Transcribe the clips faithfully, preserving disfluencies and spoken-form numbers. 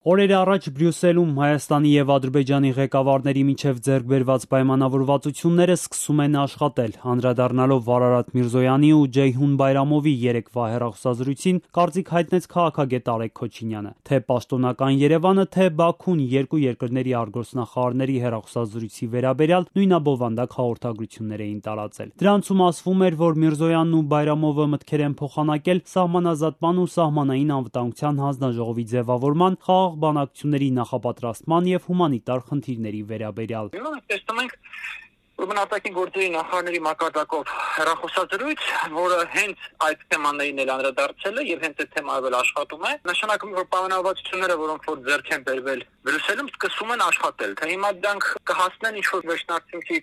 Օրեր առաջ Բրյուսելում Հայաստանի և Ադրբեջանի ղեկավարների միջև ձեռք բերված պայմանավորվածությունները սկսում են աշխատել։ Անդրադառնալով Վարարատ Միրզոյանի ու Ջեյհուն Բայրամովի երեկվա հեռախոսազրույցին, կարծիք հայտնեց քաղաքագետ Արեգ Քոչինյանը։ Թե պաշտոնական Երևանը, թե Բաքուն երկու երկրների արտգործնախարարների հեռախոսազրույցի վերաբերյալ նույնաբովանդակ հաղորդագրություններ էին տարածել։ Դրանցում ասվում էր, որ Միրզոյանն ու Բայրամովը մտքեր են փոխանակել սահմանազատման ու սահմանային անվտանգության հանձնաժողովի ձևավորման, խաղաղ բանակցությունների նախապատրաստման և հումանիտար խնդիրների վերաբերյալ։ Տեսնում ենք ուրեմն արտաքին գործերի նախարարների մակարդակով հեռախոսազրույց, որը հենց այդ թեմաներին էլ անդրադարձել է եւ հենց այդ թեմայով էլ աշխատում է, նշանակում է, որ պայմանավորվածությունները, որոնք որ ձեռք են բերվել Բրյուսելում, սկսում են աշխատել։ Թե հիմա դրանք կհասնեն ինչ-որ վերջնարդյունքի,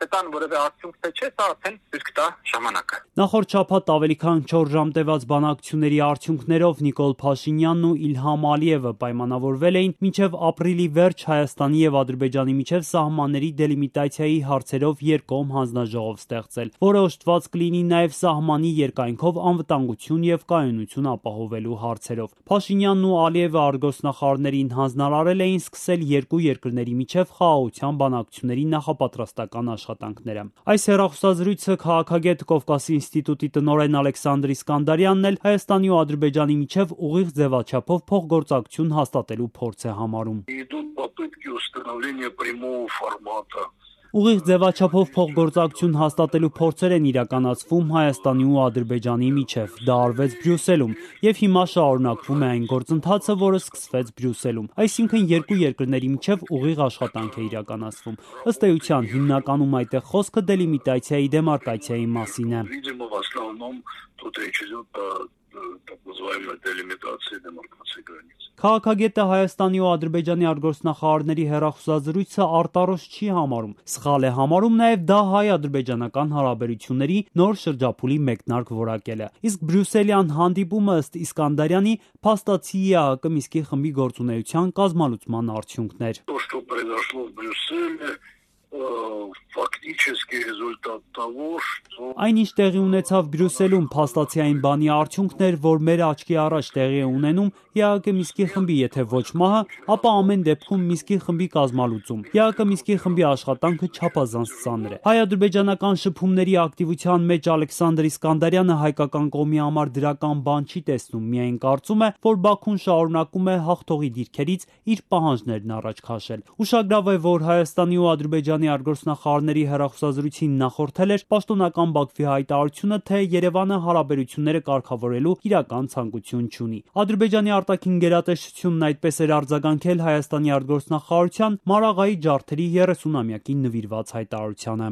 կտան որևէ արդյունք, թե չէ, սա արդեն ցույց կտա ժամանակը։ Նախորդ շաբաթ ավելի քան չորս ժամ տևած բանակցությունների արդյունքներով Նիկոլ Փաշինյանն ու Իլհամ Ալիևը պայմանավորվել էին մինչև ապրիլի վերջ Հայաստանի և Ադրբեջանի միջև սահմանների դելիմիտացիայի հարցերով երկկողմ հանձնաժողով ստեղծել, որը օժտված կլինի նաև սահմանի երկայնքով անվտանգություն և կայունություն ապահովելու հարցերով։ Փաշինյանն ու Ալիևը արտգործնախարարներին հանձնարարել էին սկսել երկու երկրների միջև խաղաղության բանակցությունների նախապատրաստական աշխատանքները։ Այս հեռախոսազրույցը քաղաքագետ, Կովկասի ինստիտուտի տնօրեն Ալեքսանդր Իսկանդարյանն էլ Հայաստանի ու Ադրբեջանի միջև ուղիղ ձևաչափով փոխգործակցություն հաստատելու փորձ է համարում։ Ուղիղ ձևաչափով փոխգործակցություն հաստատելու փորձեր են իրականացվում Հայաստանի ու Ադրբեջանի միջև։ Դա արվեց Բրյուսելում, և հիմա շարունակվում է այն գործընթացը, որը սկսվեց Բրյուսելում։ Այսինքն երկու երկրների միջև ուղիղ աշխատանք է իրականացվում։ Ըստ էության, հիմնականում այդտեղ խոսքը դելիմիտացիայի դեմարկացիայի մասին է։ Քաղաքագետը Հայաստանի ու Ադրբեջանի արտգործնախարարների հեռախոսազրույցը արտարոց չի համարում։ Սխալ է համարում նաև դա հայ-ադրբեջանական հարաբերությունների նոր շրջափուլի մեկնարկ որակելը։ Իսկ բրյուսելյան հանդիպումը, ըստ Իսկանդարյանի, փաստացի ԵԱՀԿ Մինսկի խմբի գործունեության կազմալուծման արդյունքն էր։ Այն, ինչ տեղի ունեցավ Բրյուսելում, փաստացի այն բանի արդյունքն էր, որ մեր աչքի առաջ տեղի է ունենում ԵԱՀԿ Մինսկի խմբի եթե ոչ մահը, ապա ամեն դեպքում Մինսկի խմբի կազմալուծում։ ԵԱՀԿ Մինսկի խմբի աշխատանքը չափազանց ծանր է։ Հայ-ադրբեջանական շփումների ակտիվության մեջ Ալեքսանդր Իսկանդարյանը հայկական կողմի համար դրական բան չի տեսնում, միայն կարծում է, որ Բաքուն շարունակում է հաղթողի դիրքերից իր պահանջներն առաջ քաշել։ Ուշագրավ է, որ Հայաստանի ու Ադրբեջանի արտգործնախարարների հեռախոսազրույցին նախորդել էր պաշտոնական Բաքվի հայտարարությունը, թե Երևանը հարաբերությունները կարգավորելու իրական ցանկություն չունի։ Ադրբեջանի արտաքին գերատեսչությունն այդպես էր արձագանքել Հայաստանի արտգործնախարարության Մարաղայի ջարդերի երեսունամյակին նվիրված հայտարարությանը։